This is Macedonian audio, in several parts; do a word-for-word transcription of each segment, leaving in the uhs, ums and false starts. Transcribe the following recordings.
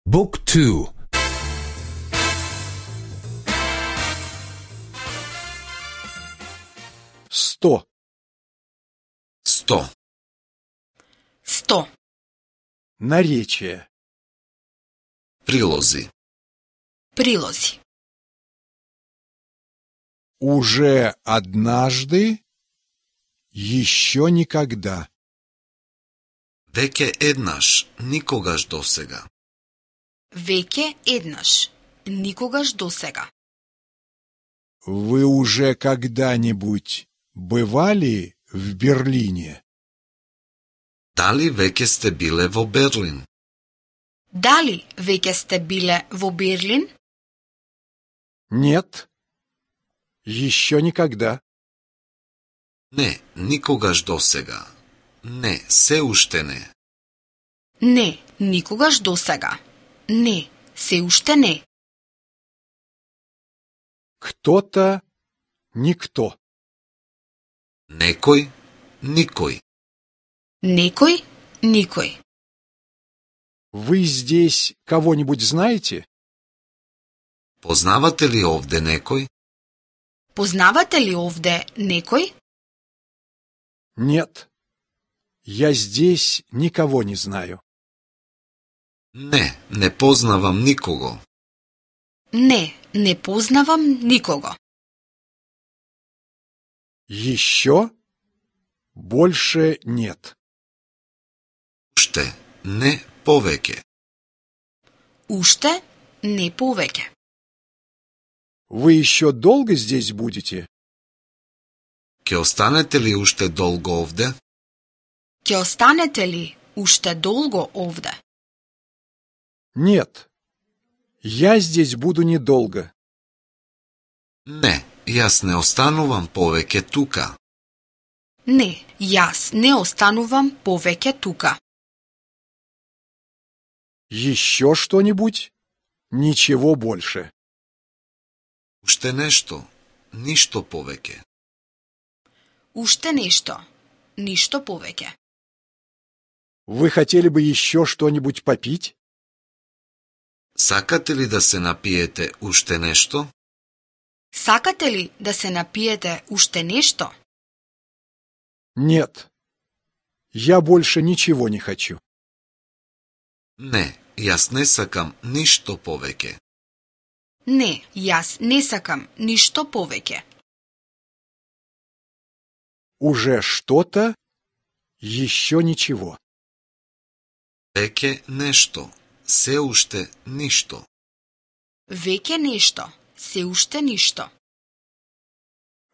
Book two. Сто. Сто. Сто. Наречие. Прилози. Прилози. Уже однажды, еще никогда. Веќе еднаш, никогаш досега. Веќе еднаш. Никогаш досега. Вы уже когда-нибудь бывали в Берлине? Дали веќе сте биле во Берлин? Дали веќе сте биле во Берлин? Нет, еще никогда. Не, никогаш досега. Не, се уште не. Не, никогаш досега. Не, се уште не. Кто-то, никто. Некој, никој. Некој, никој. Вы здесь кого-нибудь знаете? Познавате ли овде некој? Познавате ли овде некој? Нет, я здесь никого не знаю. Не, не познавам никого. Не, не познавам никого. Еще больше нет. Уште, не повеќе. Уште не повеќе. Вы еще долго здесь будете? Ќе останете ли уште долго овде? Ќе останете ли уште долго овде? Нет, я здесь буду недолго. Не, јас не останувам повеќе тука. Не, јас не останувам повеќе тука. Еще что-нибудь? Ничего больше. Уште нешто, ништо повеќе. Уште нешто, ништо повеќе. Вы хотели бы еще что-нибудь попить? Сакате ли да се напиете уште нешто? Сакате ли да се напиете уште нешто? Нет, я больше ничего не хочу. Не, јас не сакам ништо повеќе. Не, јас не сакам ништо повеќе. Уже что-то, еще ничего. Веќе нешто, се уште ништо. Веќе нешто, се уште ништо.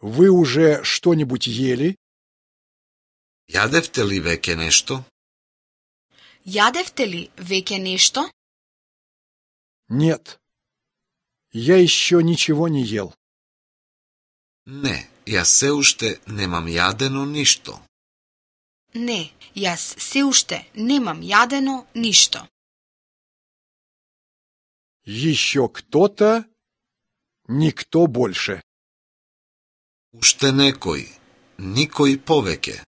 Вы уже что-нибудь ели? Јадевте ли веќе нешто? Јадевте ли веќе нешто? Нет, я еще ничего не ел. Не, јас се уште немам јадено ништо. Не, јас се уште немам јадено ништо. Еще кто-то, никто больше. Уште некој, никој повеќе.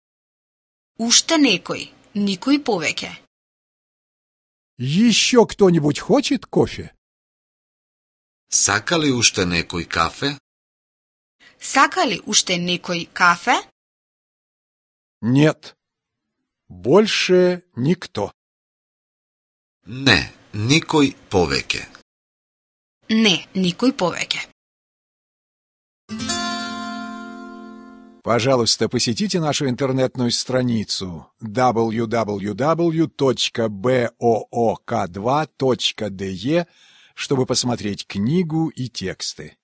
Уште некој, никој повеќе. Еще кто-нибудь хочет кофе? Сака ли уште некој кафе? Сака ли уште некој кафе? Нет, больше никто. Не, никој повеќе. Не, никој повеќе. Пожалуйста, посетите нашу интернетную страницу дабл ю дабл ю дабл ю точка буок два точка де, чтобы посмотреть книгу и тексты.